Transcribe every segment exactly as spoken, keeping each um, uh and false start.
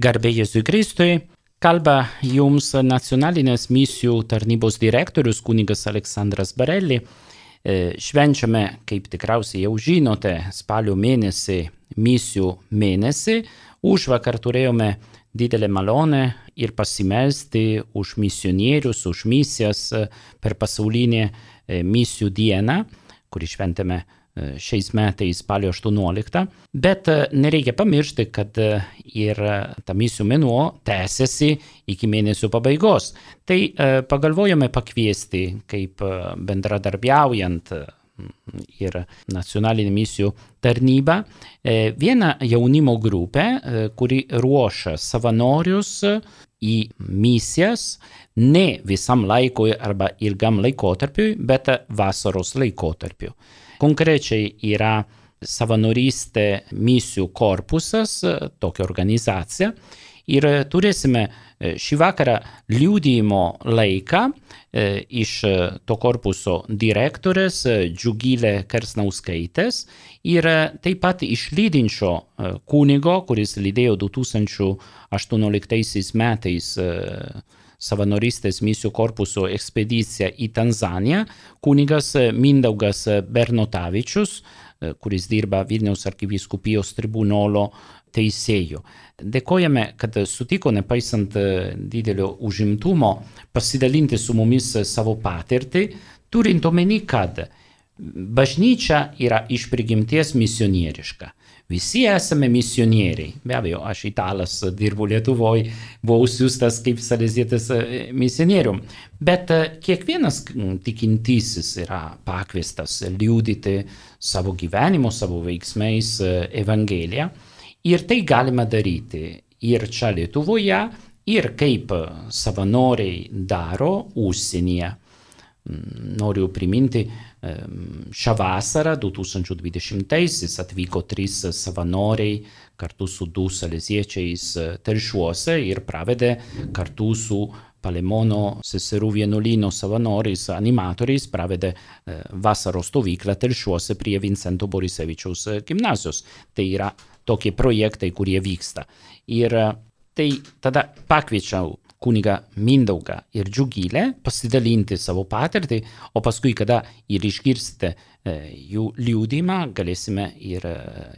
Garbė Jėzui Kristui, kalba jums nacionalinės misijų tarnybos direktorius kunigas Aleksandras Barelli. Švenčiame, kaip tikriausiai jau žinote, spalio mėnesį, misijų mėnesį. Užvakar turėjome didelę malonę ir pasimelsti už misionierius, už misijas per pasaulinę misijų dieną, kurį šventėme šiais metais spalio aštuonioliktą, bet nereikia pamiršti, kad ir ta misijų mėnuo tęsiasi iki mėnesio pabaigos. Tai pagalvojome pakviesti, kaip bendradarbiaujant ir nacionalinė misijų tarnyba, vieną jaunimo grupę, kuri ruošia savanorius į misijas ne visam laikui arba ilgam laikotarpiui, bet vasaros laikotarpiu. Konkrečiai yra savanorystė misijų korpusas, tokia organizacija, ir turėsime šį vakarą liudijimo laiką iš to korpuso direktorės Džiugilė Kersnauskaitės ir taip pat iš lydinčio kunigo, kuris lydėjo du tūkstančiai aštuonioliktaisiais metais savanorystės misijų korpuso ekspediciją į Tanzaniją, kunigas Mindaugas Bernotavičius, kuris dirba Vilniaus arkivyskupijos tribunolo teisėju. Dėkojame, kad sutiko, nepaisant didelio užimtumo, pasidalinti su mumis savo patirtį, turint omeny, kad bažnyčia yra iš prigimties misionieriška. Visi esame misionieriai. Be abejo, aš italas, dirbu Lietuvoje, buvau siųstas kaip salezietis misionierium. Bet kiekvienas tikintysis yra pakviestas liudyti savo gyvenimu, savo veiksmais Evangeliją. Ir tai galima daryti ir čia Lietuvoje, ir kaip savanoriai daro užsienyje. Noriu priminti, šią vasarą du tūkstančiai dvidešimtaisiais atvyko trys savanoriai kartu su du saleziečiais Telšiuose ir pravedė kartu su Palemono seserų vienuolyno savanoriais, animatoriais, pravedė vasaros stovyklą Telšiuose prie Vincento Borisevičiaus gimnazijos. Tai yra tokie projektai, kurie vyksta. Ir tai tada pakviečiau kunigą Mindaugą ir Džiugilę pasidalinti savo patirtį, o paskui, kada ir išgirsite jų liudymą, galėsime ir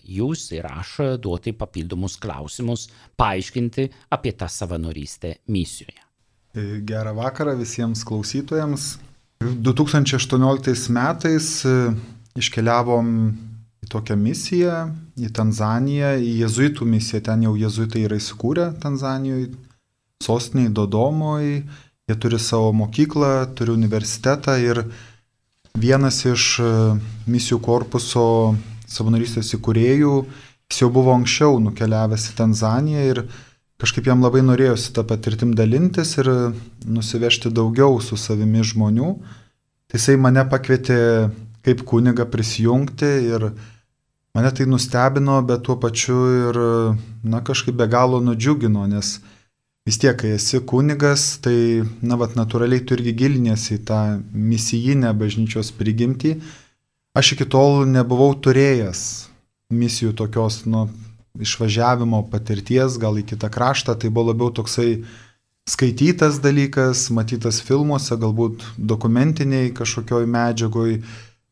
jūs, ir aš duoti papildomus klausimus, paaiškinti apie tą savanorystę misijoje. Gerą vakarą visiems klausytojams. du tūkstančiai aštuonioliktais metais iškeliavom į tokią misiją, į Tanzaniją, į jezuitų misiją. Ten jau jezuitai yra įsikūrę Tanzanijoje, sostiniai Dodomoj, jie turi savo mokyklą, turi universitetą ir vienas iš misijų korpuso savanorystės įkūrėjų, jis jau buvo anksčiau nukeliavęs į Tanzaniją ir kažkaip jam labai norėjosi tą patirtim dalintis ir nusivežti daugiau su savimi žmonių. Tai jisai mane pakvietė kaip kunigą prisijungti ir mane tai nustebino, bet tuo pačiu ir na, kažkaip be galo nudžiugino, nes vis tiek, kai esi kunigas, tai na, vat, natūraliai tu irgi giliniesi į tą misijinę bažnyčios prigimtį. Aš iki tol nebuvau turėjęs misijų tokios nu, išvažiavimo patirties, gal į kitą kraštą, tai buvo labiau toksai skaitytas dalykas, matytas filmuose, galbūt dokumentiniai kažkokioj medžiagoj,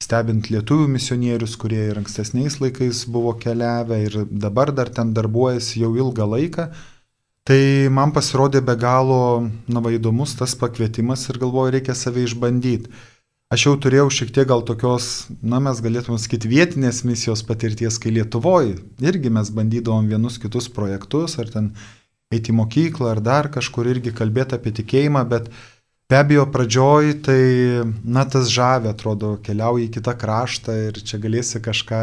stebint lietuvių misionierius, kurie ir ankstesniais laikais buvo keliavę ir dabar dar ten darbuojasi jau ilgą laiką. Tai man pasirodė be galo na, va, įdomus tas pakvietimas ir galvoju, reikia save išbandyti. Aš jau turėjau šiek tiek gal tokios, na mes galėtume sakyti, vietinės misijos patirties, kai Lietuvoje irgi mes bandydavom vienus kitus projektus, ar ten eiti į mokyklą, ar dar kažkur irgi kalbėti apie tikėjimą, bet be abejo pradžioj tai, na tas žavė, atrodo, keliauji į kitą kraštą ir čia galėsi kažką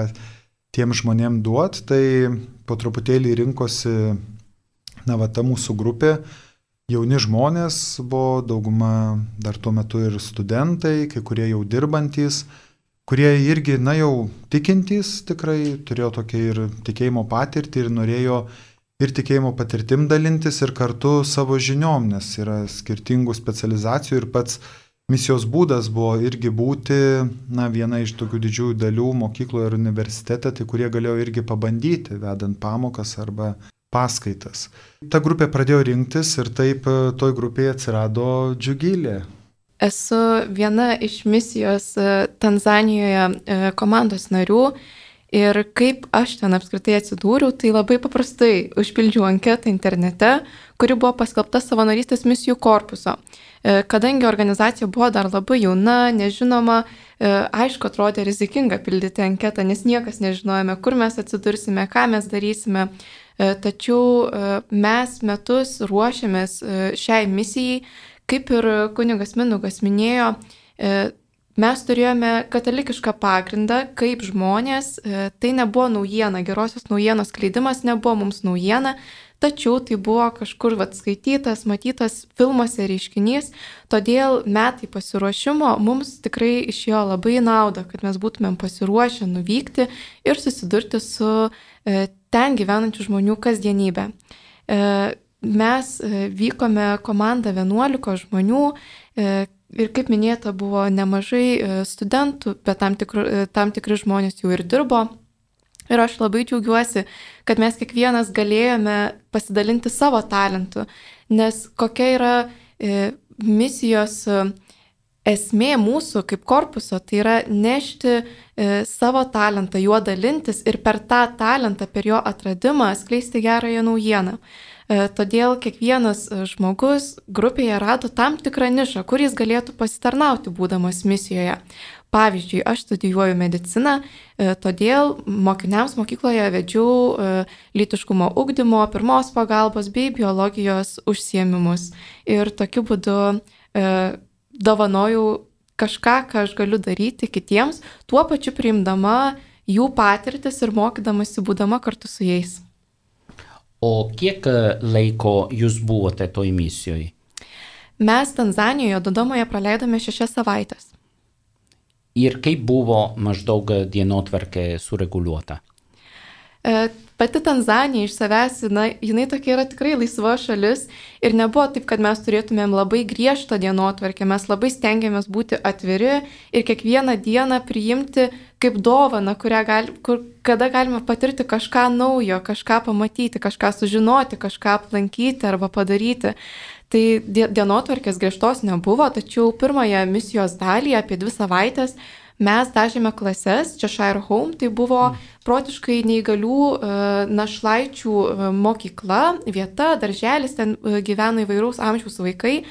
tiem žmonėm duoti, tai po truputėlį rinkosi na, va, ta mūsų grupė, jauni žmonės buvo, dauguma dar tuo metu ir studentai, kai kurie jau dirbantys, kurie irgi, na, jau tikintys tikrai, turėjo tokią ir tikėjimo patirtį ir norėjo ir tikėjimo patirtim dalintis ir kartu savo žiniom, nes yra skirtingų specializacijų ir pats misijos būdas buvo irgi būti, na, viena iš tokių didžiųjų dalių mokykloje ir universitete, tai kurie galėjo irgi pabandyti, vedant pamokas arba paskaitas. Ta grupė pradėjo rinktis ir taip toj grupėje atsirado Džiugilė. Esu viena iš misijos Tanzanijoje komandos narių ir kaip aš ten apskritai atsidūriau, tai labai paprastai užpildžiau anketą internete, kuri buvo paskelbta savanorystės misijų korpuso. Kadangi organizacija buvo dar labai jauna, nežinoma, aišku, atrodė rizikinga pildyti anketą, nes niekas nežinojame, kur mes atsidursime, ką mes darysime. Tačiau mes metus ruošiamės šiai misijai, kaip ir kunigas Mindaugas minėjo, mes turėjome katalikišką pagrindą kaip žmonės, tai nebuvo naujiena, gerosios naujienos skleidimas nebuvo mums naujiena, tačiau tai buvo kažkur vat, skaitytas, matytas filmuose reiškinys, todėl metai pasiruošimo mums tikrai išėjo labai naudą, kad mes būtumėm pasiruošę nuvykti ir susidurti su ten gyvenančių žmonių kasdienybė. Mes vykome komandą vienuolikos žmonių ir kaip minėta buvo nemažai studentų, bet tam, tikru, tam tikri žmonės jau ir dirbo. Ir aš labai džiaugiuosi, kad mes kiekvienas galėjome pasidalinti savo talentu, nes kokia yra misijos esmė mūsų kaip korpuso, tai yra nešti savo talentą, juo dalintis ir per tą talentą, per jo atradimą skleisti gerąją naujieną. Todėl kiekvienas žmogus grupėje rado tam tikrą nišą, kur jis galėtų pasitarnauti būdamas misijoje. Pavyzdžiui, aš studijuoju mediciną, todėl mokiniams mokykloje vedžiau lytiškumo ugdymo, pirmos pagalbos bei biologijos užsiėmimus. Ir tokiu būdu dovanojau kažką, ką aš galiu daryti kitiems, tuo pačiu priimdama jų patirtis ir mokydamasi būdama kartu su jais. O kiek laiko jūs buvote toj misijoje? Mes Tanzanijoje, Dodomoje praleidome šešias savaitės. Ir kaip buvo maždaug dienotvarkė sureguliuota? Pati Tanzanija iš savęs, na, jinai tokia yra tikrai laisva šalis ir nebuvo taip, kad mes turėtumėm labai griežtą dienotvarkę, mes labai stengiamės būti atviri ir kiekvieną dieną priimti kaip dovaną, gali, kur, kada galime patirti kažką naujo, kažką pamatyti, kažką sužinoti, kažką aplankyti arba padaryti. Tai dienotvarkės griežtos nebuvo, tačiau pirmąją misijos dalį apie dvi savaitės mes dažėme klases, Cheshire Home, tai buvo protiškai neįgalių našlaičių mokykla, vieta, darželis, ten gyveno įvairaus amžiaus vaikai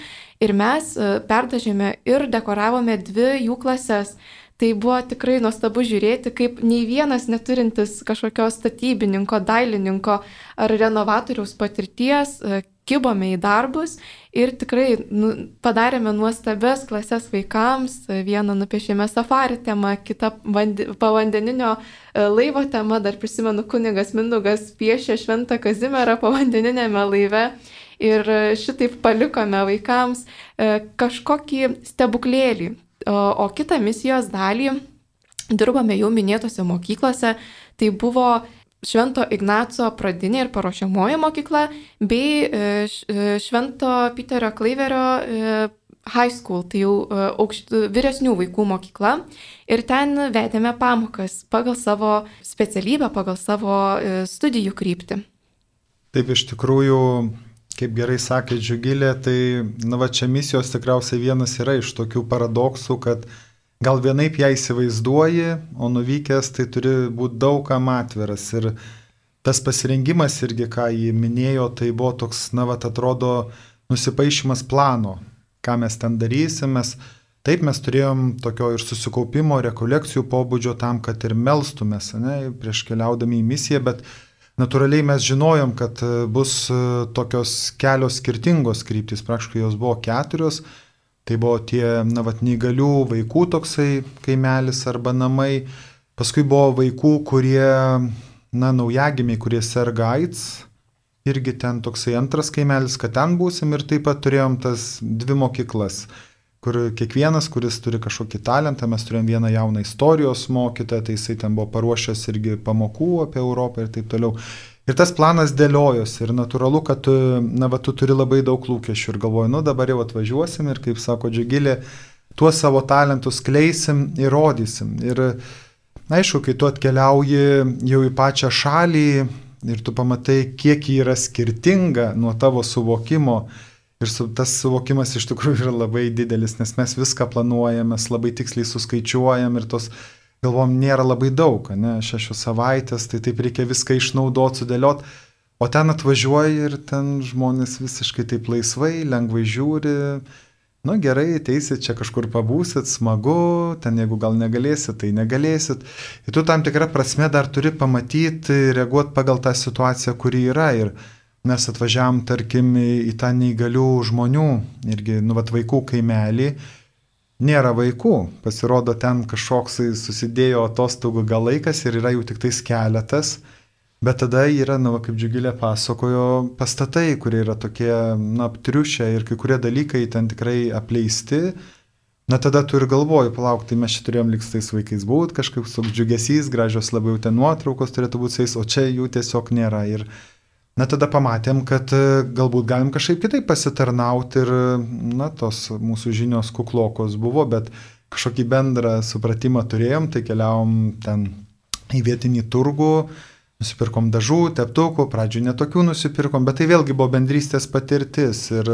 ir mes perdažėme ir dekoravome dvi jų klases. Tai buvo tikrai nuostabu žiūrėti, kaip nei vienas neturintis kažkokio statybininko, dailininko ar renovatoriaus patirties kibome į darbus ir tikrai nu, padarėme nuostabias klases vaikams. Vieną nupiešėme safari temą, kitą vandi, povandeninio laivo temą, dar prisimenu, kunigas Mindaugas piešė Šventą Kazimierą povandeninėme laive. Ir šitaip palikome vaikams kažkokį stebuklėlį. O, o kitą misijos dalį dirbame jau minėtose mokyklose, tai buvo Švento Ignaco pradinė ir paruošiamoji mokykla bei Švento Piterio Klaiverio high school, tai jau aukšt, vyresnių vaikų mokykla. Ir ten vedėme pamokas pagal savo specialybę, pagal savo studijų kryptį. Taip, iš tikrųjų, kaip gerai sakė Džiugilė, tai na, va, čia misijos tikriausiai vienas yra iš tokių paradoksų, kad gal vienaip ją įsivaizduoji, o nuvykęs tai turi būti daugam atviras. Ir tas pasirengimas irgi, ką jį minėjo, tai buvo toks, na, va, atrodo, nusipaišymas plano, ką mes ten darysim. Mes, taip mes turėjom tokio ir susikaupimo, rekolekcijų pobūdžio tam, kad ir melstumės, ne, prieš keliaudami į misiją, bet natūraliai mes žinojom, kad bus tokios kelios skirtingos kryptys, praktiškai jos buvo keturios. Tai buvo tie, na, vat, neįgalių vaikų toksai kaimelis arba namai. Paskui buvo vaikų, kurie, na, naujagimiai, kurie serga AIDS. Irgi ten toksai antras kaimelis, kad ten būsim. Ir taip pat turėjom tas dvi mokyklas, kur kiekvienas, kuris turi kažkokį talentą, mes turėjom vieną jauną istorijos mokytoją, tai jisai ten buvo paruošęs irgi pamokų apie Europą ir taip toliau. Ir tas planas dėliojosi ir natūralu, kad tu, na, va, tu turi labai daug lūkesčių ir galvoji, nu dabar jau atvažiuosim ir, kaip sako Džiugilė, tuos savo talentus kleisim ir rodysim. Ir aišku, kai tu atkeliauji jau į pačią šalį, ir tu pamatai, kiek ji yra skirtinga nuo tavo suvokimo. Ir su, tas suvokimas iš tikrųjų yra labai didelis, nes mes viską planuojam, mes labai tiksliai suskaičiuojam ir tos, galvom, nėra labai daug, ne, šešios savaitės, tai taip reikia viską išnaudoti, sudėlioti, o ten atvažiuoji ir ten žmonės visiškai taip laisvai, lengvai žiūri, nu gerai, ateisit, čia kažkur pabūsit, smagu, ten jeigu gal negalėsit, tai negalėsit. Ir tu tam tikrą prasme dar turi pamatyti, reaguoti pagal tą situaciją, kuri yra. Ir mes atvažiavam, tarkim, į tą neįgalių žmonių, irgi, nu, vat, vaikų kaimelį, nėra vaikų, pasirodo, ten kažkoks susidėjo atostogų gal laikas ir yra jų tik tais keletas, bet tada yra, nu, kaip Džiugilė pasakojo, pastatai, kurie yra tokie, na, aptriušę ir kai kurie dalykai ten tikrai apleisti, na, tada tu ir galvoji, palauk, tai mes čia turėjom liks tais vaikais būti, kažkaip su džiugesys, gražios labiau ten nuotraukos turėtų būti su jais, o čia jų tiesiog nėra. Ir na, tada pamatėm, kad galbūt galim kažkaip kitaip pasitarnauti ir, na, tos mūsų žinios kuklokos buvo, bet kažkokį bendrą supratimą turėjom, tai keliavom ten į vietinį turgų, nusipirkom dažų, teptukų, pradžių netokių nusipirkom, bet tai vėlgi buvo bendrystės patirtis ir,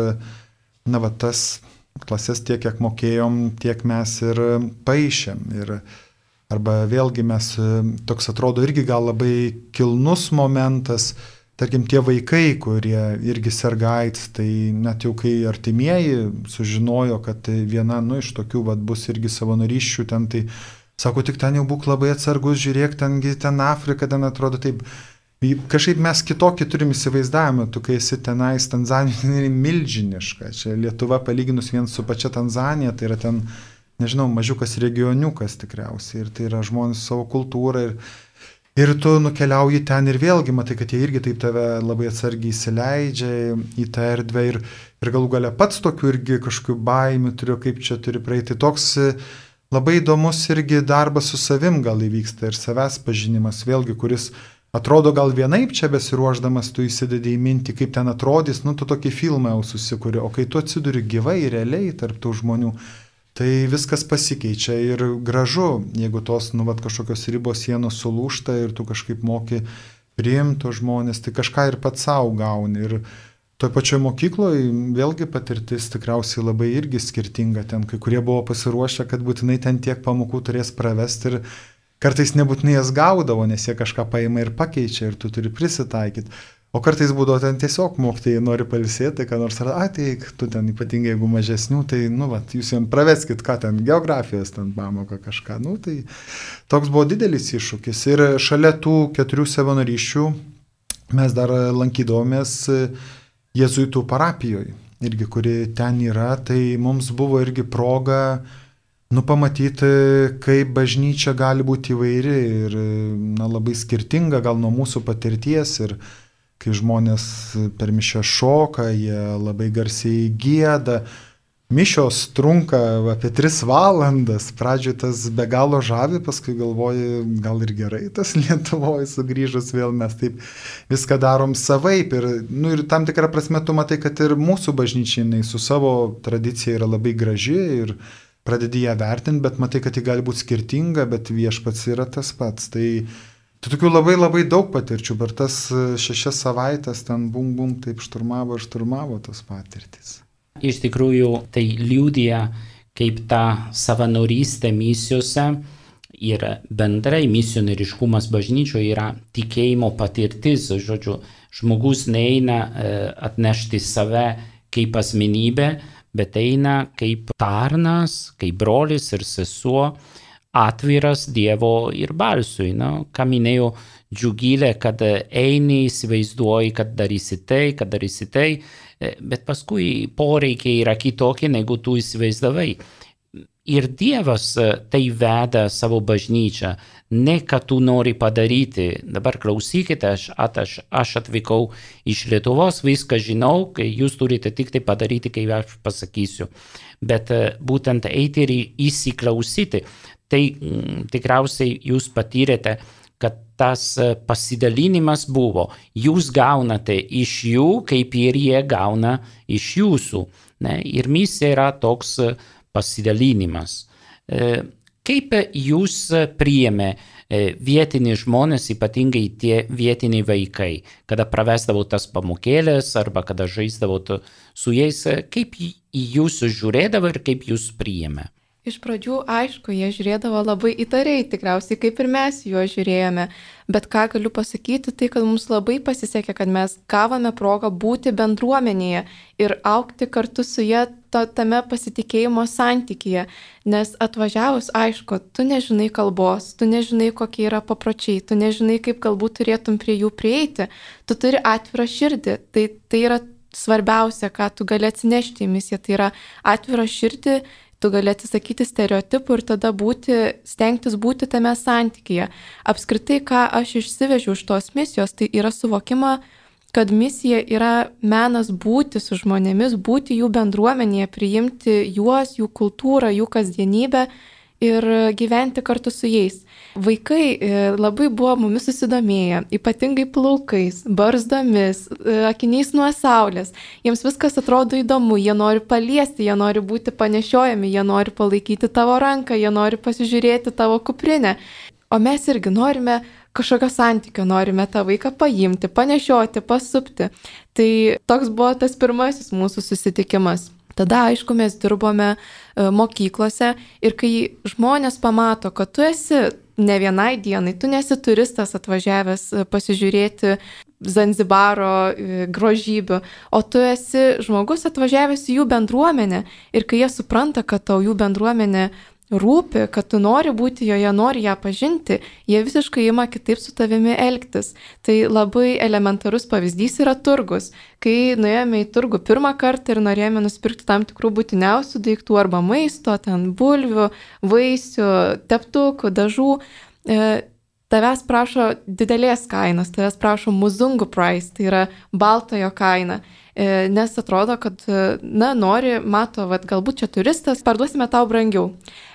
na, va, tas klases tiek, kiek mokėjom, tiek mes ir paišėm. Ir arba vėlgi mes, toks atrodo irgi gal labai kilnus momentas, tarkim, tie vaikai, kurie irgi serga AIDS, tai net jau kai artimieji sužinojo, kad viena, nu, iš tokių vat, bus irgi savanorysčių ten, tai sako, tik ten jau būk labai atsargus, žiūrėk, tengi ten Afrika, ten atrodo taip, kažkaip mes kitokį turim įsivaizdavimą, tu kai esi tenais, Tanzanija tai milžiniška, čia Lietuva palyginus vien su pačia Tanzanija, tai yra ten, nežinau, mažiukas regioniukas tikriausiai, ir tai yra žmonės savo kultūrą ir Ir tu nukeliauji ten ir vėlgi matai, kad jie irgi taip tave labai atsargiai įsileidžia į tą erdvę ir, ir galų gale pats tokių irgi kažkokių baimių turiu, kaip čia turi praeiti. Toks labai įdomus irgi darbas su savim gal įvyksta ir savęs pažinimas, vėlgi, kuris atrodo gal vienaip čia besiruošdamas, tu įsidedi į mintį, kaip ten atrodys, nu tu tokį filmą jau susikuri, o kai tu atsiduri gyvai, realiai tarp tų žmonių, tai viskas pasikeičia ir gražu, jeigu tos, nu, vat, kažkokios ribos sienos sulūšta ir tu kažkaip moki priimti žmonės, tai kažką ir pats savo gauni. Ir toj pačioj mokykloje vėlgi patirtis tikriausiai labai irgi skirtinga. Ten kai kurie buvo pasiruošę, kad būtinai ten tiek pamokų turės pravesti ir kartais nebūtinai jas gaudavo, nes jie kažką paima ir pakeičia ir tu turi prisitaikyti. O kartais būdavo ten tiesiog mokytojai nori pailsėti, ką nors ar ateik, tu ten ypatingai jeigu mažesnių, tai, nu, vat, jūs jiems praveskit, ką ten, geografijos ten pamoka kažką, nu, tai toks buvo didelis iššūkis. Ir šalia tų keturių savanorysčių mes dar lankydavomės jėzuitų parapijoje, irgi, kuri ten yra, tai mums buvo irgi proga, nu, pamatyti, kaip bažnyčia gali būti įvairi ir, na, labai skirtinga gal nuo mūsų patirties ir kai žmonės per mišią šoka, jie labai garsiai gieda. Mišios trunka apie tris valandas, pradžioje tas be galo žavi, paskui galvoji, gal ir gerai tas Lietuvoje sugrįžus vėl mes taip viską darom savaip. Ir, nu, ir tam tikrą prasme tu matai, kad ir mūsų bažnyčiai su savo tradicija yra labai graži ir pradedi ją vertinti, bet matai, kad ji gali būti skirtinga, bet viešpats yra tas pats. Tai Tai tokių labai labai daug patirčių, per tas šešias savaitės ten bum bum taip šturmavo ir šturmavo tos patirtis. Iš tikrųjų, tai liudija, kaip ta savanorystė misijose ir bendrai misioneriškumas bažnyčioje yra tikėjimo patirtis. Žodžiu, žmogus neina atnešti save kaip asmenybė, bet eina kaip tarnas, kaip brolis ir sesuo, atviras Dievo ir balsui, no? Ką minėjo Džiugilė, kad eini, įsivaizduoji, kad darysi tai, kad darysi tai, bet paskui poreikiai yra kitokie, negu tu įsivaizdavai. Ir Dievas tai veda savo bažnyčią, ne kad tu nori padaryti. Dabar klausykite, aš, aš, aš atvykau iš Lietuvos, viską žinau, kai jūs turite tik tai padaryti, kai aš pasakysiu. Bet būtent eiti ir įsiklausyti. Tai tikriausiai jūs patyrėte, kad tas pasidalinimas buvo. Jūs gaunate iš jų, kaip ir jie gauna iš jūsų. Ne? Ir misija yra toks pasidalinimas. Kaip jūs priėmė vietiniai žmonės, ypatingai tie vietiniai vaikai, kada pravesdavau tas pamokėlės arba kada žaisdavau su jais, kaip į jūs žiūrėdavo ir kaip jūs priėmė? Iš pradžių, aišku, jie žiūrėdavo labai įtariai, tikriausiai kaip ir mes juos žiūrėjome, bet ką galiu pasakyti, tai kad mums labai pasisekė, kad mes gavome progą būti bendruomenėje ir augti kartu su jie to, tame pasitikėjimo santykyje, nes atvažiavus, aišku, tu nežinai kalbos, tu nežinai, kokie yra papročiai, tu nežinai, kaip galbūt turėtum prie jų prieiti, tu turi atvirą širdį, tai, tai yra svarbiausia, ką tu gali atsinešti į misiją, tai yra atvirą širdį. Tu gali atsisakyti stereotipų ir tada būti, stengtis būti tame santykyje. Apskritai, ką aš išsivežiu iš tos misijos, tai yra suvokima, kad misija yra menas būti su žmonėmis, būti jų bendruomenėje, priimti juos, jų kultūrą, jų kasdienybę ir gyventi kartu su jais. Vaikai labai buvo mumis susidomėję, ypatingai plaukais, barzdomis, akiniais nuo saulės. Jiems viskas atrodo įdomu, jie nori paliesti, jie nori būti panešiojami, jie nori palaikyti tavo ranką, jie nori pasižiūrėti tavo kuprinę. O mes irgi norime kažkokio santykio, norime tą vaiką paimti, panešioti, pasupti. Tai toks buvo tas pirmasis mūsų susitikimas. Tada, aišku, mes dirbome mokyklose ir kai žmonės pamato, kad tu esi ne vienai dienai, tu nesi turistas atvažiavęs pasižiūrėti Zanzibaro grožybių, o tu esi žmogus atvažiavęs į jų bendruomenę ir kai jie supranta, kad tau jų bendruomenė rūpi, kad tu nori būti joje, nori ją pažinti, jie visiškai ima kitaip su tavimi elgtis. Tai labai elementarus pavyzdys yra turgus. Kai nuėjome į turgų pirmą kartą ir norėjome nusipirkti tam tikrų būtiniausių daiktų arba maisto, ten bulvių, vaisių, teptukų, dažų, e, tavęs prašo didelės kainos, tavęs prašo muzungu price, tai yra baltojo kaina. Nes atrodo, kad, na, nori, mato, vat, galbūt čia turistas, parduosime tau brangiau.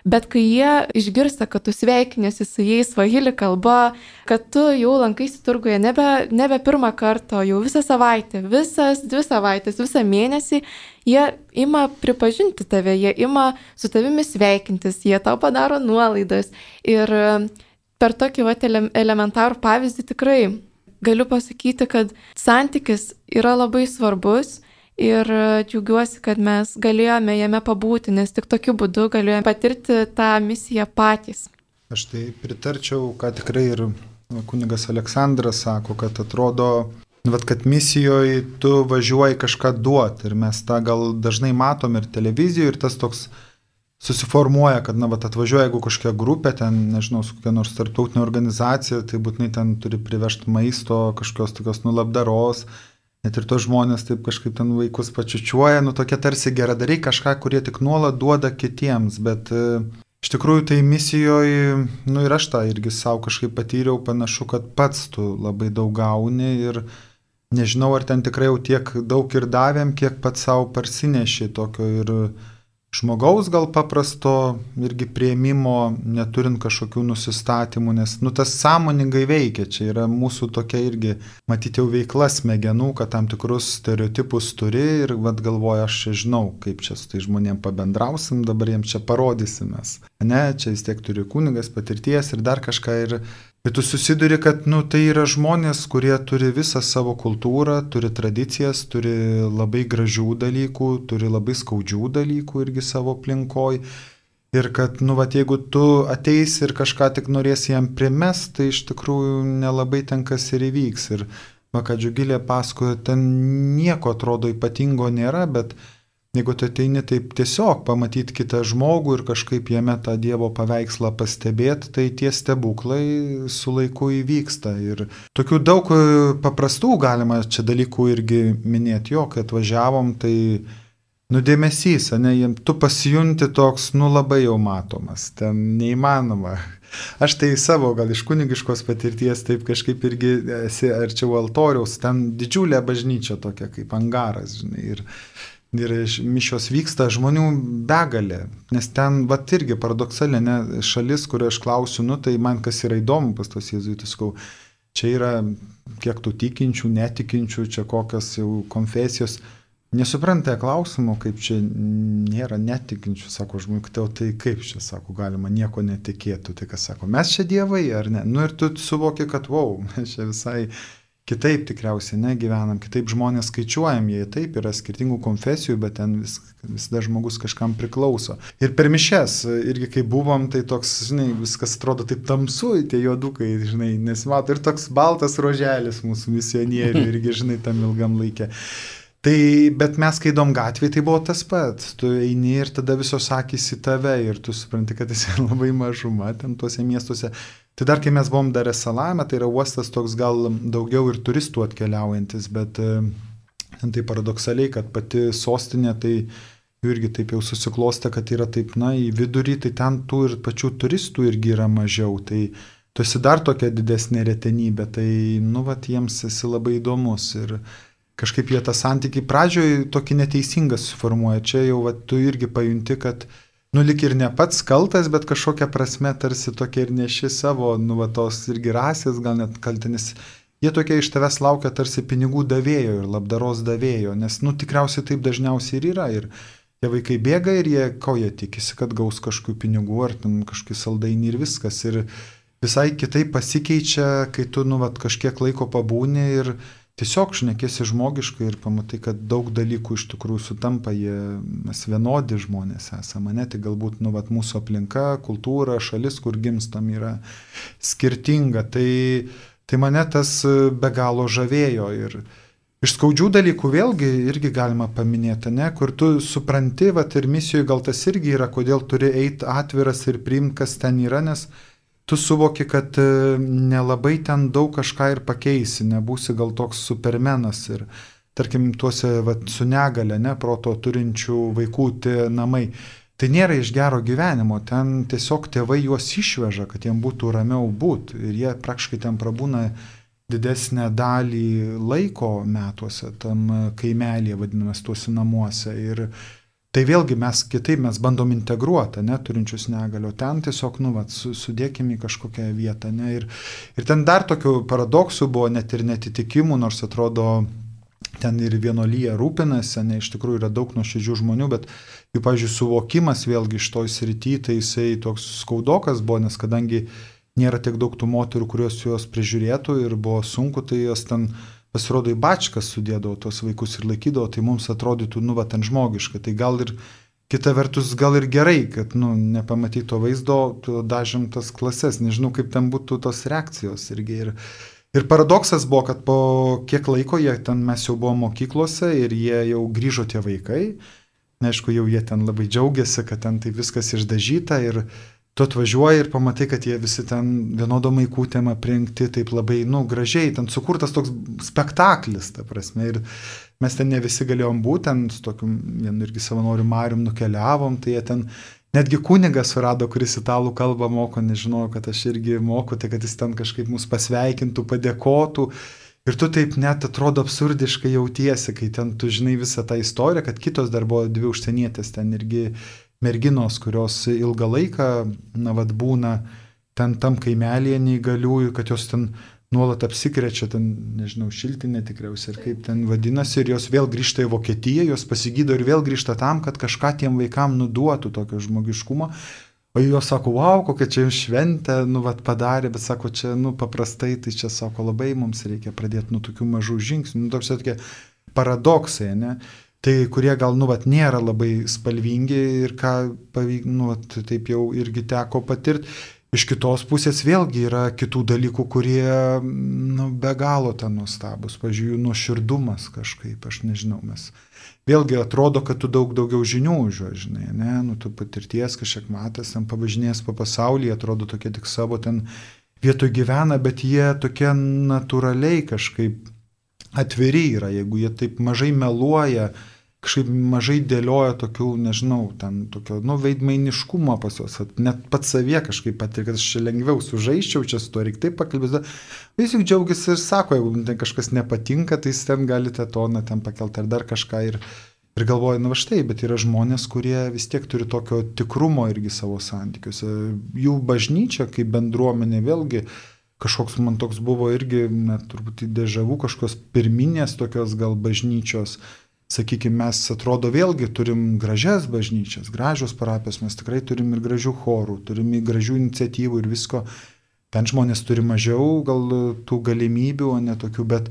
Bet kai jie išgirsta, kad tu sveikinėsi su jais svahili kalba, kad tu jau lankaisi turguje nebe, nebe pirmą kartą, jau visą savaitę, visas dvi savaitės, visą mėnesį, jie ima pripažinti tave, jie ima su tavimi sveikintis, jie tau padaro nuolaidas. Ir per tokį vat, elementarų pavyzdį tikrai galiu pasakyti, kad santykis yra labai svarbus ir džiaugiuosi, kad mes galėjome jame pabūti, nes tik tokiu būdu galėjome patirti tą misiją patys. Aš tai pritarčiau, ką tikrai ir kunigas Aleksandras sako, kad atrodo, vat, kad misijoje tu važiuoji kažką duoti ir mes tą gal dažnai matom ir televizijoje ir tas toks susiformuoja, kad, na, vat, atvažiuoja, jeigu kažkokia grupė, ten, nežinau, su kokia nors tarptautinė organizacija, tai būtinai ten turi privežti maisto, kažkokios tokios nulabdaros, net ir tos žmonės taip kažkaip ten vaikus pačiučiuoja, nu tokie tarsi geradariai kažką, kurie tik nuolat duoda kitiems, bet e, iš tikrųjų tai misijoje, nu ir aš tą irgi savo kažkaip patyriau, panašu, kad pats tu labai daug gauni ir nežinau, ar ten tikrai jau tiek daug ir davėm, kiek pats savo parsineši tokio ir žmogaus gal paprasto irgi prieimimo, neturint kažkokių nusistatymų, nes nu, tas sąmoningai veikia, čia yra mūsų tokia irgi, matyti jau veikla smegenų, kad tam tikrus stereotipus turi ir vat, galvoja, aš čia žinau, kaip čia su tai žmonėm pabendrausim, dabar jiems čia parodysimės. Ne, čia vis tiek turi kunigas patirties ir dar kažką ir ir tu susiduri, kad nu, tai yra žmonės, kurie turi visą savo kultūrą, turi tradicijas, turi labai gražių dalykų, turi labai skaudžių dalykų irgi savo aplinkoj. Ir kad, nu, vat, jeigu tu ateisi ir kažką tik norėsi jam primest, tai iš tikrųjų nelabai ten kas ir įvyks. Ir, va, ką Džiugilė pasakojo, ten nieko atrodo ypatingo nėra, bet jeigu tu ateini taip tiesiog pamatyti kitą žmogų ir kažkaip jame tą Dievo paveikslą pastebėti, tai tie stebuklai su laiku įvyksta. Ir tokių daug paprastų galima čia dalykų irgi minėti, jo, kai atvažiavom, tai nudėmesys, ne, tu pasijunti toks, nu labai jau matomas, ten neįmanoma. Aš tai savo, gal iš kunigiškos patirties, taip kažkaip irgi esi arčiau altoriaus, ten didžiulė bažnyčia tokia kaip angaras, žinai, ir Ir mišios vyksta žmonių begalė, nes ten, va, irgi paradoksaliai, ne, šalis, kurio aš klausiu, nu, tai man kas yra įdomu pas tos jėzuitus, sakau, čia yra kiek tų tikinčių, netikinčių, čia kokios jau konfesijos, nesupranta klausimo, kaip čia nėra netikinčių, sako žmonių, tai kaip čia, sako, galima nieko netikėtų, tai kas sako, mes čia dievai ar ne? Nu ir tu suvoki, kad wow, mes čia visai kitaip tikriausiai negyvenam, kitaip žmonės skaičiuojam, jie taip yra skirtingų konfesijų, bet ten vis, visada žmogus kažkam priklauso. Ir per mišes, irgi kai buvom, tai toks, žinai, viskas atrodo taip tamsu, tie juodukai, žinai, nesimato. Ir toks baltas roželis mūsų misionierių, irgi, žinai, tam ilgam laikė. Tai, bet mes, kai įdom gatvėje, tai buvo tas pats. Tu eini ir tada visos akys į tave ir tu supranti, kad esi labai mažuma ten tuose miestuose. Tai dar, kai mes buvom Dar es Salame, tai yra uostas toks gal daugiau ir turistų atkeliaujantis, bet ten tai paradoksaliai, kad pati sostinė, tai irgi taip jau susiklostė, kad yra taip, na, į vidurį, tai ten tų ir pačių turistų irgi yra mažiau. Tai tu esi dar tokia didesnė retenybė, tai, nu, vat, jiems esi labai įdomus ir kažkaip jie tą santykį pradžioj tokį neteisingą suformuoja. Čia jau vat, tu irgi pajunti, kad nu, lik ir ne pats kaltas, bet kažkokia prasme tarsi tokia ir neši savo, nu, va, tos irgi rasės, gal net kaltinis. Jie tokie iš tavęs laukia tarsi pinigų davėjo ir labdaros davėjo, nes, nu, tikriausiai taip dažniausiai ir yra. Ir tie vaikai bėga ir jie, ko jie tikisi, kad gaus kažkokių pinigų ar ten kažkokį saldainį ir viskas. Ir visai kitaip pasikeičia, kai tu, nu, va, kažkiek laiko pabūni ir tiesiog šnekėsi žmogiškai ir pamatai, kad daug dalykų iš tikrųjų sutampa, jie, mes vienodi žmonės esame, ne, tai galbūt, nu, vat, mūsų aplinka, kultūra, šalis, kur gimstam, yra skirtinga. Tai, tai mane tas be galo žavėjo ir iš skaudžių dalykų vėlgi irgi galima paminėti, ne, kur tu supranti, vat, ir misijoje gal tas irgi yra, kodėl turi eiti atviras ir priimti, kas ten yra, nes tu suvoki, kad nelabai ten daug kažką ir pakeisi, nebūsi gal toks supermenas ir, tarkim, tuose vat, su negale, ne, proto turinčių vaikų tie namai. Tai nėra iš gero gyvenimo, ten tiesiog tėvai juos išveža, kad jiem būtų ramiau būti ir jie praktiškai ten prabūna didesnę dalį laiko metuose, tam kaimelėje vadinamas tuose namuose ir tai vėlgi mes kitaip, mes bandom integruoti, ne, turinčius negalio, ten tiesiog, nu, vat, sudėkime į kažkokią vietą, ne, ir, ir ten dar tokių paradoksų buvo, net ir netitikimų, nors atrodo, ten ir vienolyje rūpinasi, ne, iš tikrųjų yra daug nuoširdžių žmonių, bet jų, pavyzdžiui, suvokimas vėlgi iš toj srity, tai jisai toks skaudokas buvo, nes kadangi nėra tiek daug tų moterų, kurios juos prižiūrėtų ir buvo sunku, tai jos ten pasirodo į bačkas sudėdavo tos vaikus ir laikydavo, tai mums atrodytų, nu, va, ten žmogiška. Tai gal ir, kita vertus, gal ir gerai, kad, nu, nepamatyt to vaizdo, dažėm tas klases, nežinau, kaip ten būtų tos reakcijos irgi. Ir, ir paradoksas buvo, kad po kiek laiko jie ten, mes jau buvom mokyklose ir jie jau grįžo tie vaikai. Aišku, jau jie ten labai džiaugiasi, kad ten tai viskas išdažyta ir tu atvažiuoji ir pamatai, kad jie visi ten vienodom maikutėm aprengti, taip labai, nu, gražiai, ten sukurtas toks spektaklis, ta prasme, ir mes ten ne visi galėjom būti, ten su tokiu vienu irgi savanoriu Marium nukeliavom, tai jie ten, netgi kunigas surado, kuris italų kalbą moko, nežinojau, kad aš irgi moku, tai kad jis ten kažkaip mus pasveikintų, padėkotų, ir tu taip net atrodo absurdiškai jautiesi, kai ten tu žinai visą tą istoriją, kad kitos dar buvo dvi užsienietės, ten irgi merginos, kurios ilgą laiką, na, vat, būna ten tam kaimelėje neįgaliųjų, kad jos ten nuolat apsikrečia, ten, nežinau, šiltinė tikriausiai, ir kaip ten vadinasi, ir jos vėl grįžta į Vokietiją, jos pasigydo ir vėl grįžta tam, kad kažką tiem vaikam nuduotų tokio žmogiškumo. O jos sako, wow, kokia čia jums šventė, nu, vat, padarė, bet sako, čia, nu, paprastai, tai čia, sako, labai mums reikia pradėti nuo tokių mažų žingsnių, nu, toks tokie paradoksai, ne? Tai kurie gal, nu, vat, nėra labai spalvingi ir ką pavyk, nu, vat, taip jau irgi teko patirti. Iš kitos pusės vėlgi yra kitų dalykų, kurie, nu, be galo ten nuostabus. Pavyzdžiui, nuoširdumas kažkaip, aš nežinau, mes vėlgi atrodo, kad tu daug daugiau žinių užuo, žinai, ne, nu, tu patirties kažkiek matęs, ten pavažinės po pasaulį, atrodo tokie tik savo ten vietoj gyvena, bet jie tokie natūraliai kažkaip atviri yra, jeigu jie taip mažai meluoja, kažkaip mažai dėlioja tokių, nežinau, ten tokio, nu, veidmainiškumo pas juos, net pats savie kažkaip patir, kad aš čia lengviau sužaisčiau, čia su to reikia taip pakalbėti, vis juk džiaugiasi ir sako, jeigu ten kažkas nepatinka, tai ten galite toną ten pakelti ar dar kažką ir, ir galvoja, na, va štai, bet yra žmonės, kurie vis tiek turi tokio tikrumo irgi savo santykiuose, jų bažnyčia kaip bendruomenė vėlgi, kažkoks man toks buvo irgi, net turbūt dežavų, kažkokios pirminės tokios gal bažnyčios, sakykime, mes atrodo vėlgi turim gražias bažnyčias, gražios parapijos, mes tikrai turim ir gražių chorų, turim ir gražių iniciatyvų ir visko. Ten žmonės turi mažiau gal tų galimybių, o ne tokių, bet,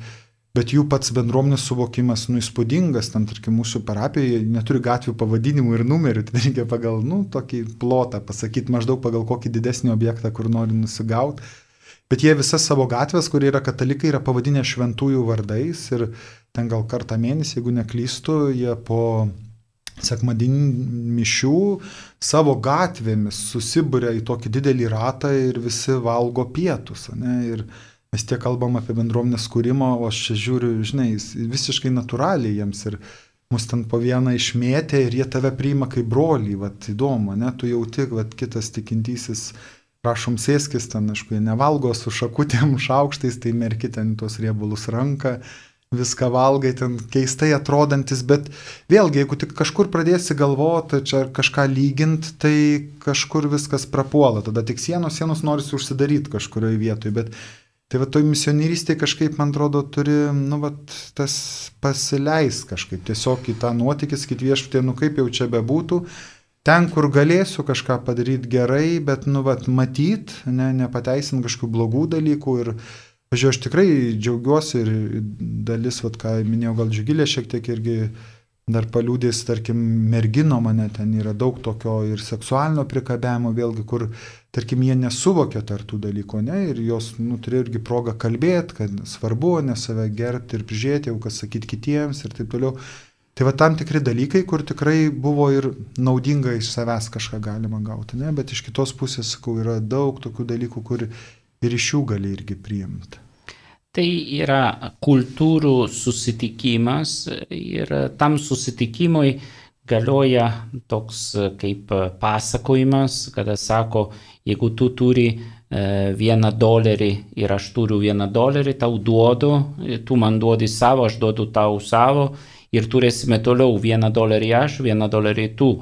bet jų pats bendruomenės suvokimas, nu, įspūdingas, ten, tarkim, mūsų parapijoje neturi gatvių pavadinimų ir numerių, tai reikia pagal, nu, tokį plotą pasakyti, maždaug pagal kokį didesnį objektą, kur nori nusigauti. Bet jie visas savo gatvės, kurie yra katalikai, yra pavadinę šventųjų vardais ir ten gal kartą mėnesį, jeigu neklystu, jie po sekmadieninių mišių savo gatvėmis susibūrė į tokį didelį ratą ir visi valgo pietus. Ne? Ir mes tiek kalbam apie bendruomenės kūrimą, o aš čia žiūriu, žinai, visiškai natūraliai jiems ir mus ten po vieną išmėtė ir jie tave priima kaip brolį, vat įdomu, ne? Tu jauti, vat kitas tikintysis, prašom sėskis ten, aišku, jie nevalgo su šakutėm, šaukštais, tai merki ten tuos riebalus ranką, viską valgai, ten keistai atrodantis, bet vėlgi, jeigu tik kažkur pradėsi galvoti, čia kažką lygint, tai kažkur viskas prapuola, tada tik sienos, sienos norisi užsidaryti kažkurioje vietoje, bet tai va toj misionierystėje kažkaip, man atrodo, turi, nu, va, tas pasileis kažkaip, tiesiog į tą nuotykį, sakyti viešpatie, nu, kaip jau čia bebūtų, ten, kur galėsiu kažką padaryti gerai, bet, nu, va, matyt, ne, nepateisint kažkokių blogų dalykų ir Pavyzdžiui, aš tikrai džiaugiuosi ir dalis, vat, ką minėjau, gal Džiugilė šiek tiek irgi dar paliūdės, tarkim, mergino mane ten yra daug tokio ir seksualinio prikabėjimo, vėlgi, kur, tarkim, jie nesuvokia tartų dalykų, ne, ir jos, nu, turėjo irgi progą kalbėti, kad svarbu, ne save gerbti ir prižiūrėti, jau kas sakyti kitiems ir taip toliau. Tai va tam tikri dalykai, kur tikrai buvo ir naudinga iš savęs kažką galima gauti, ne, bet iš kitos pusės, sakau, yra daug tokių dalykų, kur ir iš jų gali irgi priimti. Tai yra kultūrų susitikimas ir tam susitikimui galioja toks kaip pasakojimas, kada sako, jeigu tu turi vieną dolerį ir aš turiu vieną dolerį, tau duodu, tu man duodi savo, aš duodu tau savo ir turėsime toliau vieną dolerį aš, vieną dolerį tu.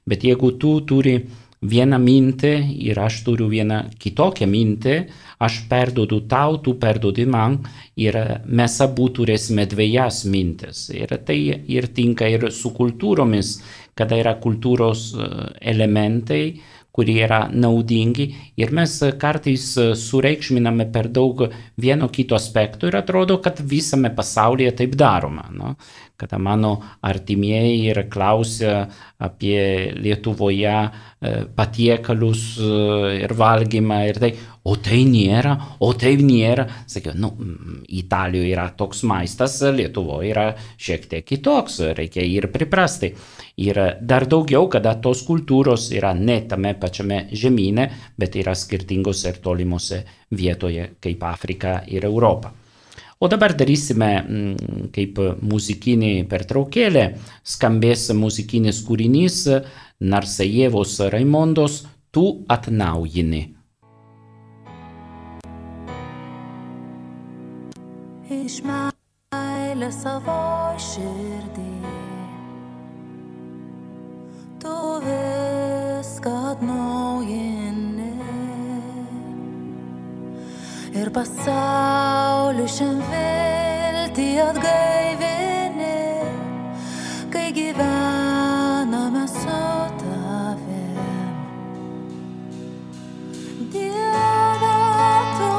Bet jeigu tu turi vieną mintį ir aš turiu vieną kitokią mintį, aš perduodu tau, tu perduodi man ir mes abu turėsime dviejas mintis. Ir tai ir tinka ir su kultūromis, kada yra kultūros elementai, kurie yra naudingi ir mes kartais sureikšminame per daug vieno kito aspektų ir atrodo, kad visame pasaulyje taip daroma. No? Kada mano artimieji ir klausia apie Lietuvoje patiekalus ir valgymą ir tai, o tai nėra, o tai nėra. Sakiau, nu, Italijoje yra toks maistas, Lietuvoje yra šiek tiek kitoks, reikia ir priprasti. Ir dar daugiau, kada tos kultūros yra ne tame pačiame žemyne, bet yra skirtingos ir tolimose vietoje, kaip Afrika ir Europa. O dabar darysime kaip muzikinį pertraukėlę, skambės muzikinis kūrinys Narsajevos Raimondos Tu atnaujini. Iš meilės savo širdį tu viską atnaujini ir pasauliu šiam viltį atgaivini, kai gyvename su tavim. Dieve, tu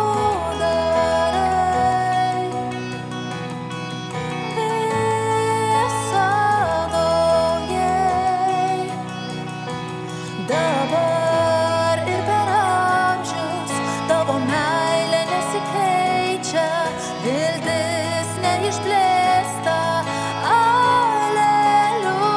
darai visą naujai, dabar ir per amžius tavo meilė nesikeičia, viltis neišblėsta. Aleliuja.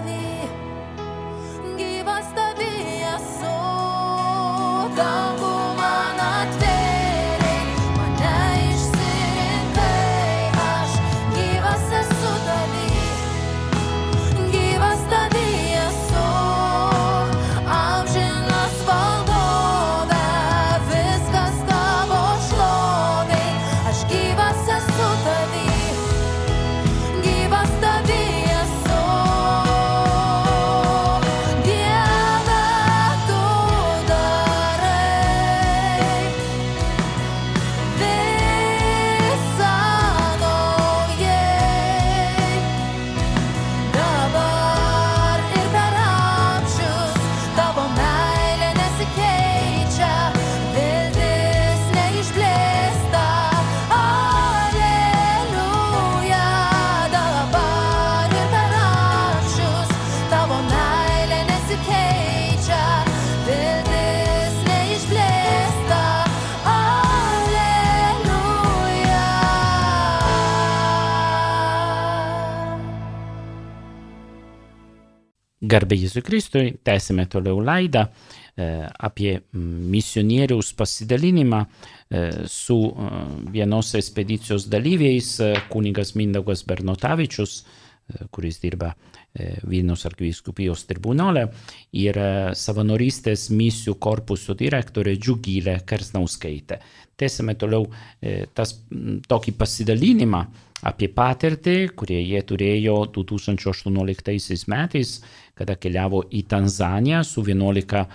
tavy, gyvas tavy esu, dangų man atvėrei, mane išsirinkai, aš gyvas esu tavy, gyvas tavy esu, amžinas valdove, viskas tavo šlovei, aš gyvas esu tavy, gyvas tavy esu, Dieve tu darai visą naujai, dabar ir per amžius tavo meilė nesikeičia, viltis neišblėsta, Aleliuja, dabar ir per amžius tavo meilė nesikeičia, viltis neišblėsta, Aleliuja. Garbė Jėzui Kristui, tęsime toliau laidą e, apie mm, misionieriaus pasidalinimą e, su e, vienos ekspedicijos dalyviais, e, kunigas Mindaugas Bernotavičius, e, kuris dirba e, Vilniaus arkivyskupijos tribunole, ir e, savanorystės misijų korpuso direktorė Džiugilė Kersnauskaitė. Tęsime toliau e, tas, m, tokį pasidalinimą apie patirtį, kurie jie turėjo du tūkstančiai aštuonioliktaisiais metais, kada keliavo į Tanzaniją su vienuolika e,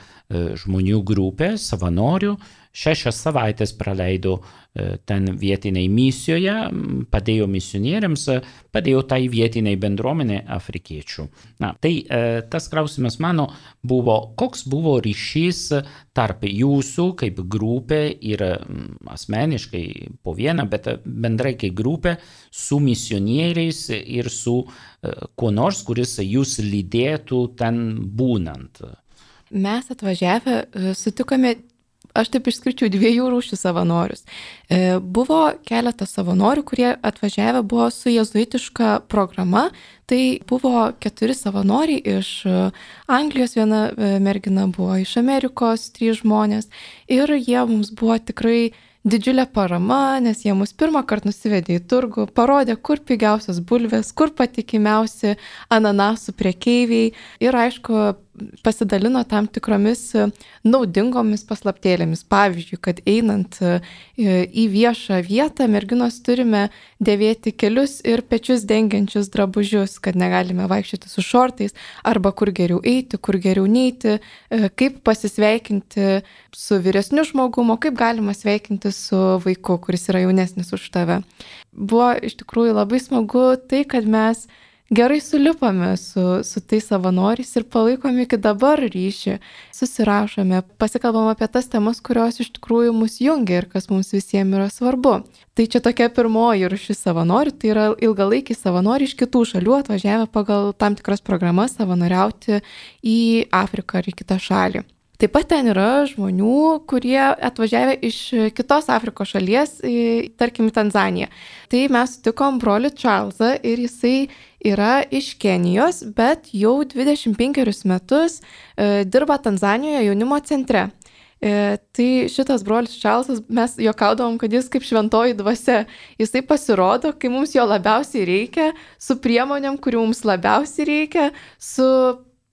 žmonių grupė, savanorių. Šešias savaitės praleido e, ten vietiniai misijoje, m, padėjo misionieriams, e, padėjo tai vietiniai bendruomenė afrikiečių. Na, tai e, tas klausimas mano buvo, koks buvo ryšys tarp jūsų kaip grupė ir m, asmeniškai po vieną, bet bendrai kaip grupė su misionieriais ir su e, kuo nors, kuris jūs lydėtų ten būnant. Mes atvažiavę e, sutikome, aš taip išskirčiau dviejų rūšių savanorius. E, Buvo keletas savanorių, kurie atvažiavę buvo su jėzuitiška programa. Tai buvo keturi savanoriai iš e, Anglijos, viena e, mergina buvo iš Amerikos, trys žmonės. Ir jie mums buvo tikrai didžiulė parama, nes jie mus pirmą kartą nusivedė į turgų, parodė, kur pigiausios bulvės, kur patikimiausi ananasų prekeiviai ir, aišku, pasidalino tam tikromis naudingomis paslaptėlėmis. Pavyzdžiui, kad einant į viešą vietą, merginos turime dėvėti kelius ir pečius dengiančius drabužius, kad negalime vaikščioti su šortais, arba kur geriau eiti, kur geriau neiti, kaip pasisveikinti su vyresniu žmogumu, kaip galima sveikinti su vaiku, kuris yra jaunesnis už tave. Buvo iš tikrųjų labai smagu tai, kad mes gerai sulipame su, su tais savanoriais ir palaikom iki dabar ryšį, susirašome, pasikalbam apie tas temas, kurios iš tikrųjų mus jungia ir kas mums visiems yra svarbu. Tai čia tokia pirmoji rūšis savanorių, tai yra ilgalaikiai savanoriai iš kitų šalių atvažiavę pagal tam tikras programas savanoriauti į Afriką ar į kitą šalį. Taip pat ten yra žmonių, kurie atvažiavę iš kitos Afrikos šalies, tarkim, Tanzaniją. Tai mes sutikom brolį Čarlzą ir jisai yra iš Kenijos, bet jau dvidešimt penkerius metus e, dirba Tanzanijoje jaunimo centre. E, tai šitas brolis Čarlzas, mes juokaudavom, kad jis kaip šventoji dvasia. Jisai pasirodo, kai mums jo labiausiai reikia, su priemonėm, kurių mums labiausiai reikia, su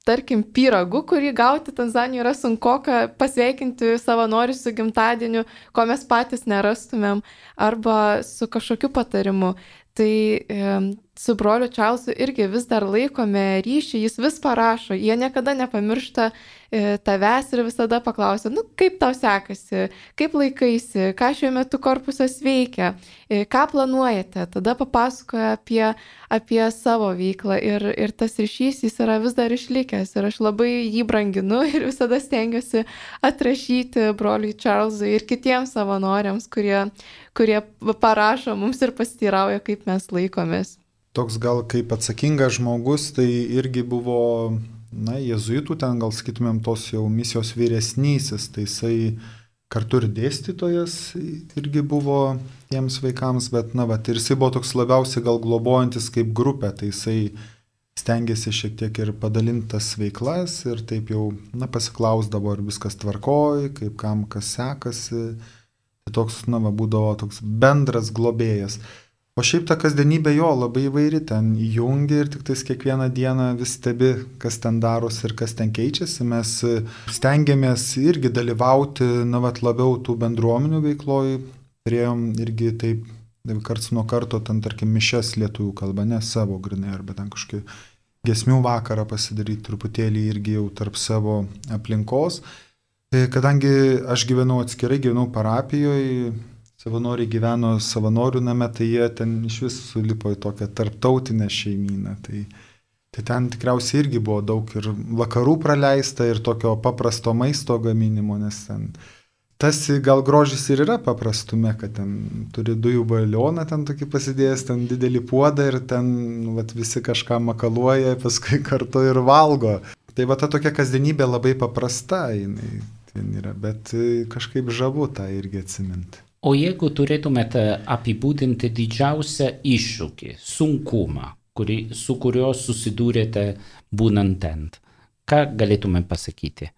tarkim, pyragu, kurį gauti Tanzanijoje yra sunkoka, pasveikinti savanorius su gimtadieniu, ko mes patys nerastumėm, arba su kažkokiu patarimu. Tai e, su broliu Čarlzu irgi vis dar laikome ryšį, jis vis parašo, jie niekada nepamiršta e, tavęs ir visada paklausia, nu kaip tau sekasi, kaip laikaisi, ką šiuo metu korpusas veikia, e, ką planuojate, tada papasakoja apie, apie savo veiklą ir, ir tas ryšys jis yra vis dar išlikęs ir aš labai jį branginu ir visada stengiuosi atrašyti broliui Čarlzui ir kitiems savanoriams, kurie, kurie parašo mums ir pasiteirauja, kaip mes laikomės. Toks gal kaip atsakingas žmogus, tai irgi buvo, na, jėzuitų, ten gal sakytumėm tos jau misijos vyresnysis, tai jisai kartu ir dėstytojas irgi buvo tiems vaikams, bet, na, va, ir jisai buvo toks labiausiai gal globojantis kaip grupė, tai jisai stengiasi šiek tiek ir padalintas veiklas ir taip jau, na, pasiklausdavo, ar viskas tvarkoj, kaip kam kas sekasi. Tai toks, na, va, būdavo toks bendras globėjas. O šiaip ta kasdienybė jo labai įvairi, ten įjungia ir tik tais kiekvieną dieną vis stebi, kas ten darosi ir kas ten keičiasi. Mes stengiamės irgi dalyvauti, na, vat, labiau tų bendruomenių veikloj. Turėjom irgi taip, karts nuo karto, ten, tarkim, mišes lietuvių kalba, ne savo grinai, arba ten kažkokį giesmių vakarą pasidaryti truputėlį irgi jau tarp savo aplinkos. Kadangi aš gyvenau atskirai, gyvenau parapijoje, savanoriai gyveno savanorių name, tai jie ten iš vis sulipo į tokią tarptautinę šeimyną. Tai, tai ten tikriausiai irgi buvo daug ir vakarų praleista, ir tokio paprasto maisto gaminimo, nes ten tas gal grožis ir yra paprastume, kad ten turi dujų balioną, ten tokį pasidėjęs, ten didelį puodą ir ten vat, visi kažką makaluoja, paskui kartu ir valgo. Tai va ta tokia kasdienybė labai paprasta, jinai ten yra, bet kažkaip žavu tą irgi atsiminti. O jeigu turėtumėte apibūdinti didžiausią iššūkį, sunkumą, kurį, su kuriuo susidūrėte būnant ten, ką galėtume pasakyti?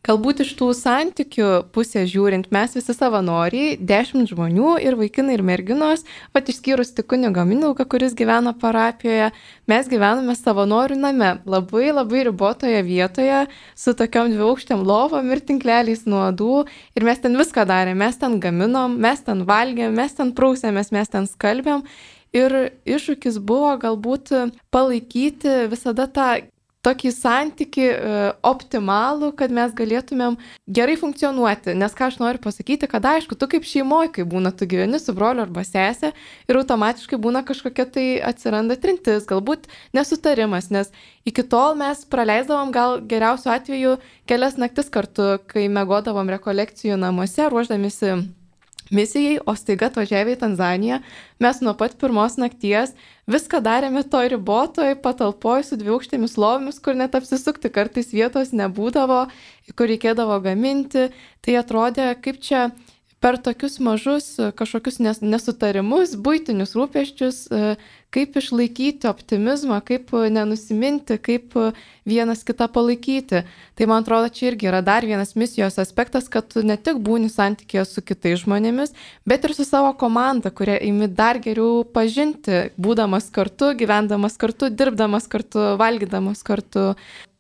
Galbūt iš tų santykių pusės žiūrint, mes visi savanoriai, dešimt žmonių ir vaikinai ir merginos, pat išskyrus tik kunigą Mindaugą, kuris gyvena parapijoje, mes gyvename savanorių name, labai labai ribotoje vietoje, su tokiom dviaukštėm lovom ir tinkleliais nuodų, ir mes ten viską darėm, mes ten gaminom, mes ten valgėm, mes ten prausėmės, mes ten skalbėm, ir iššūkis buvo galbūt palaikyti visada tą tokį santykį e, optimalų, kad mes galėtumėm gerai funkcionuoti. Nes ką aš noriu pasakyti, kad aišku, tu kaip šeimoje, kai būna, tu gyveni su broliu arba sesė ir automatiškai būna kažkokia tai atsiranda trintis, galbūt nesutarimas, nes iki tol mes praleisdavom gal geriausiu atveju kelias naktis kartu, kai miegodavom rekolekcijų namuose, ruošdamisi misijai, o staiga atvažiavę į Tanzaniją, mes nuo pat pirmos nakties viską darėme toj ribotoj patalpoj su dviaukštėmis lovomis, kur net apsisukti kartais vietos nebūdavo, kur reikėdavo gaminti. Tai atrodė, kaip čia per tokius mažus kažkokius nesutarimus, buitinius rūpesčius, kaip išlaikyti optimizmą, kaip nenusiminti, kaip vienas kitą palaikyti. Tai man atrodo, čia irgi yra dar vienas misijos aspektas, kad tu ne tik būni santykėje su kitais žmonėmis, bet ir su savo komanda, kurią imi dar geriau pažinti, būdamas kartu, gyvendamas kartu, dirbdamas kartu, valgydamas kartu.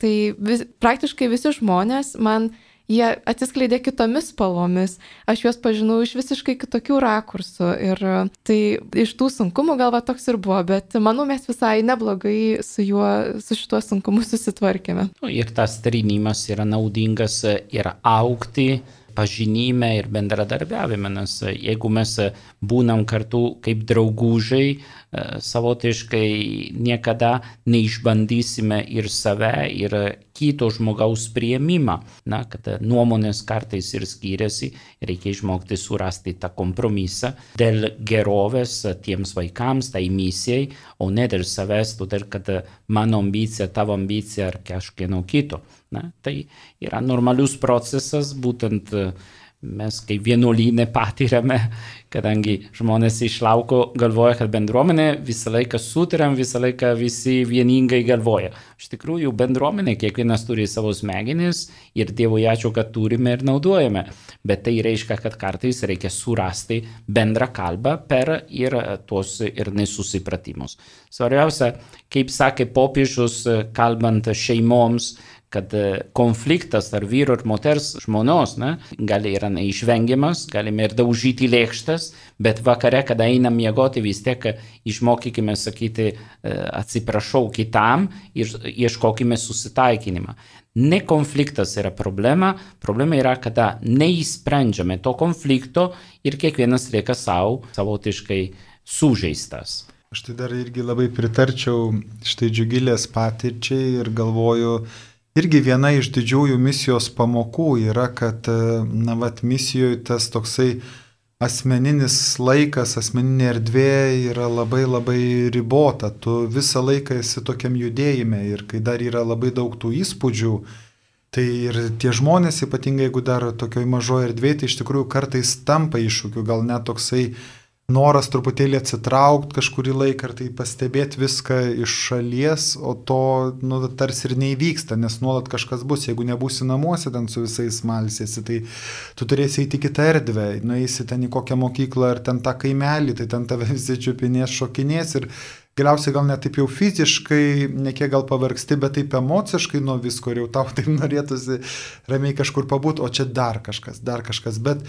Tai vis, praktiškai visi žmonės man jie atsiskleidė kitomis spalvomis, aš juos pažinau iš visiškai kitokių rakursų ir tai iš tų sunkumų galva toks ir buvo, bet manau mes visai neblogai su juo, su šituo sunkumu susitvarkėme. Ir tas trinimas yra naudingas ir augti pažinime ir bendradarbiavime, nes jeigu mes būnam kartu kaip draugužiai, savotiškai niekada neišbandysime ir save, ir kito žmogaus priėmimą. Na, kad nuomonės kartais ir skiriasi, reikia išmokti surasti tą kompromisą dėl gerovės tiems vaikams, tai misijai, o ne dėl savęs, todėl kad mano ambicija, tavo ambicija ar kažkieno kito. Na, tai yra normalius procesas, būtent mes kaip vienuolyne patiriame, kadangi žmonės iš lauko galvoja, kad bendruomenė visą laiką sutariam, visą laiką visi vieningai galvoja. Iš tikrųjų, bendruomenė, kiekvienas turi savo smegenis ir Dievui ačiū, kad turime ir naudojame. Bet tai reiškia, kad kartais reikia surasti bendrą kalbą per ir tuos ir nesusipratimus. Svarbiausia, kaip sakė popiežius, kalbant šeimoms, kad konfliktas tarp vyro ir moters žmonos, ne, gali yra neišvengiamas, galime ir daužyti lėkštas, bet vakare, kada einam miegoti, vis tiek išmokykime sakyti atsiprašau kitam ir ieškokime susitaikinimą. Ne konfliktas yra problema, problema yra, kada neįsprendžiame to konflikto ir kiekvienas lieka savo, savotiškai sužeistas. Aš tai dar irgi labai pritarčiau štai Džiugilės patirčiai ir galvoju, irgi viena iš didžiųjų misijos pamokų yra, kad, na, vat, misijoje tas toksai asmeninis laikas, asmeninė erdvė yra labai labai ribota. Tu visą laiką esi tokiam judėjime ir kai dar yra labai daug tų įspūdžių, tai ir tie žmonės, ypatingai jeigu dar tokioj mažoje erdvėje, tai iš tikrųjų kartais tampa iššūkiu, gal net toksai noras truputėlį atsitraukti kažkurį laiką ir tai pastebėti viską iš šalies, o to nu, tarsi ir neįvyksta, nes nuolat kažkas bus. Jeigu nebūsi namuose ten su visais malsiesi, tai tu turėsi eiti į kitą erdvę, nueisi ten į kokią mokyklą ar ten tą kaimelį, tai ten tave visi čiupinės, šokinės ir galiausiai gal net taip jau fiziškai, ne kiek gal pavargsti, bet taip emociškai nuo visko ir jau tau taip norėtųsi ramiai kažkur pabūti, o čia dar kažkas, dar kažkas, bet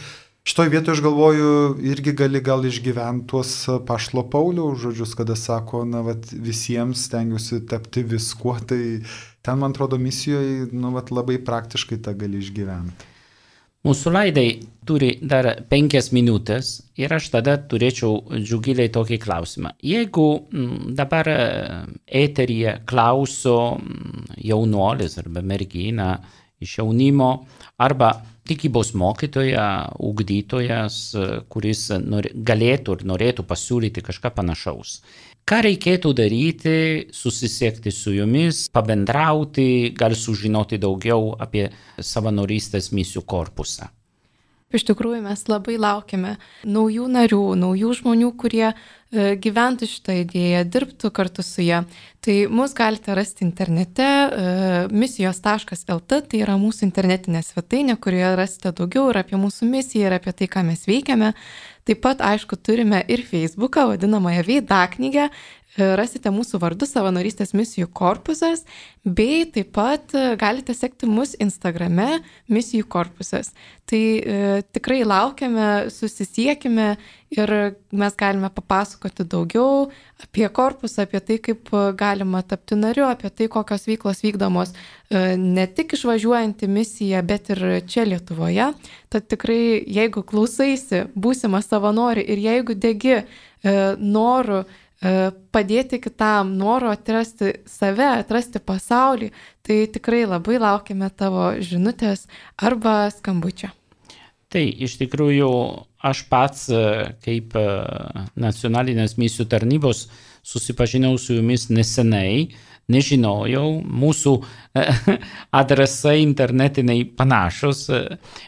šitoj vietoje aš galvoju, irgi gali gal išgyventi tuos Paštalo Pauliaus žodžius, kada sako, na, vat, visiems stengiuosi tapti viskuo, tai ten, man atrodo, misijoje, nu, vat, labai praktiškai tą gali išgyventi. Mūsų laidai turi dar penkias minutės ir aš tada turėčiau Džiugilei tokį klausimą. Jeigu dabar eteryje klauso jaunuolis arba mergina iš jaunimo arba tikybos mokytoja, ugdytojas, kuris nori, galėtų ir norėtų pasiūlyti kažką panašaus. Ką reikėtų daryti, susisiekti su jumis, pabendrauti, gal sužinoti daugiau apie savanorystės misijų korpusą? Iš tikrųjų, mes labai laukiame naujų narių, naujų žmonių, kurie e, gyventų šitą idėją, dirbtų kartu su ją. Tai mus galite rasti internete, e, misijos taškas el te, tai yra mūsų internetinė svetainė, kurioje rasite daugiau ir apie mūsų misiją, ir apie tai, ką mes veikiame. Taip pat, aišku, turime ir Facebooką, vadinamąją veidaknygę, rasite mūsų vardu Savanorystės misijų korpusas, bei taip pat galite sekti mus Instagrame misijų korpusas. Tai e, tikrai laukiame, susisiekime ir mes galime papasakoti daugiau apie korpusą, apie tai, kaip galima tapti nariu, apie tai, kokios veiklos vykdomos e, ne tik išvažiuojant į misiją, bet ir čia Lietuvoje. Tad tikrai, jeigu klausaisi būsimą savanorį ir jeigu degi e, noru padėti kitam, noro atrasti save, atrasti pasaulį, tai tikrai labai laukiame tavo žinutės arba skambučio. Tai iš tikrųjų aš pats kaip nacionalinės misijų tarnybos susipažinau su jumis nesenai, nežinojau, mūsų adresai internetiniai panašus,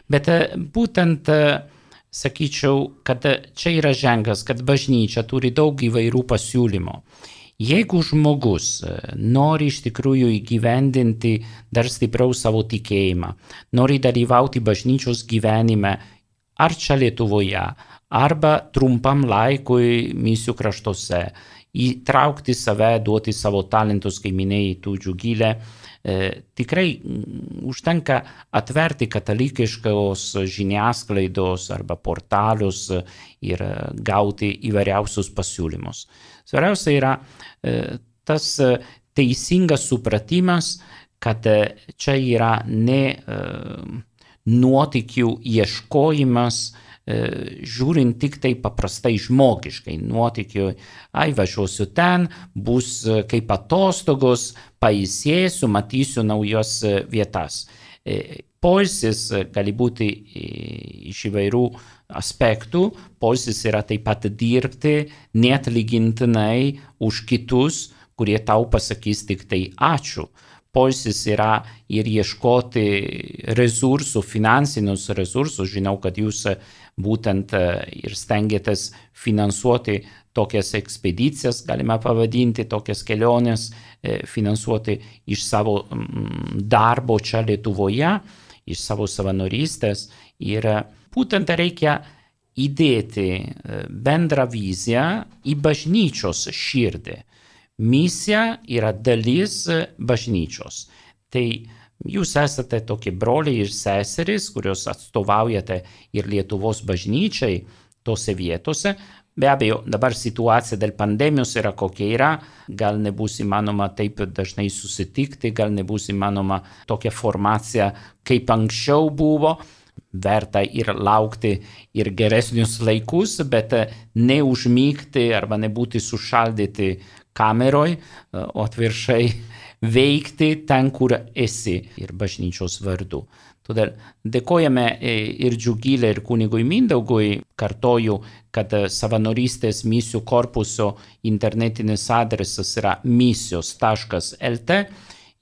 bet būtent sakyčiau, kad čia yra ženklas, kad bažnyčia turi daug įvairių pasiūlymų. Jeigu žmogus nori iš tikrųjų įgyvendinti dar stipriau savo tikėjimą, nori dalyvauti bažnyčios gyvenime ar čia Lietuvoje, arba trumpam laikui misijų kraštuose, įtraukti save, duoti savo talentus, kai minėjai tu Džiugilė, E, tikrai užtenka atverti katalikiškos žiniasklaidos arba portalius ir gauti įvairiausius pasiūlymus. Svarbiausia yra e, tas teisingas supratimas, kad čia yra ne e, nuotykių ieškojimas, žiūrint tik tai paprastai žmogiškai, nuotykių, ai važiuosiu ten, bus kaip atostogos, pailsėsiu, matysiu naujos vietas. Poilsis gali būti iš įvairių aspektų, poilsis yra taip pat dirbti neatlygintinai už kitus, kurie tau pasakys tik tai ačiū. Poilsis yra ir ieškoti resursų, finansinius resursus. Žinau, kad jūs būtent ir stengiatės finansuoti tokias ekspedicijas, galime pavadinti, tokias keliones, finansuoti iš savo darbo čia Lietuvoje, iš savo savanorystės. Ir būtent reikia įdėti bendrą viziją į bažnyčios širdį. Misija yra dalis bažnyčios. Tai jūs esate tokie broliai ir seserys, kurios atstovaujate ir Lietuvos bažnyčiai tose vietose. Be abejo, dabar situacija dėl pandemijos yra kokia yra, gal nebus įmanoma taip dažnai susitikti, gal nebus įmanoma tokia formacija, kaip anksčiau buvo. Verta ir laukti ir geresnius laikus, bet neužmygti arba nebūti sušaldyti kameroj, o atvirkščiai veikti ten, kur esi ir bažnyčios vardu. Todėl dėkojame ir Džiugilei, ir kunigui Mindaugui. Kartoju, kad savanorystės misijų korpuso internetinis adresas yra misijos taškas el te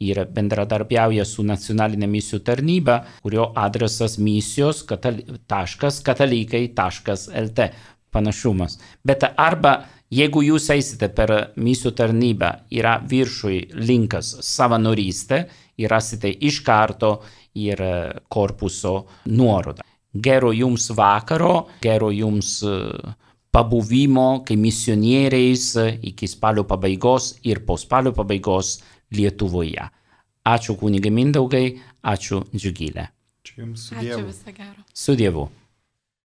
ir bendradarbiauja su nacionalinė misijų tarnyba, kurio adresas misijos taškas katalikai taškas el te. panašumas. Bet arba jeigu jūs eisite per misijų tarnybą, yra viršui linkas savanorystė ir rasite iš karto ir korpuso nuorodą. Gero jums vakaro, gero jums pabuvimo kaip misionieriais iki spalio pabaigos ir po spalio pabaigos Lietuvoje. Ačiū kunige Mindaugai, ačiū Džiugilė. Čia jums su Ačiū, Dievu. viso gero. Su Dievu.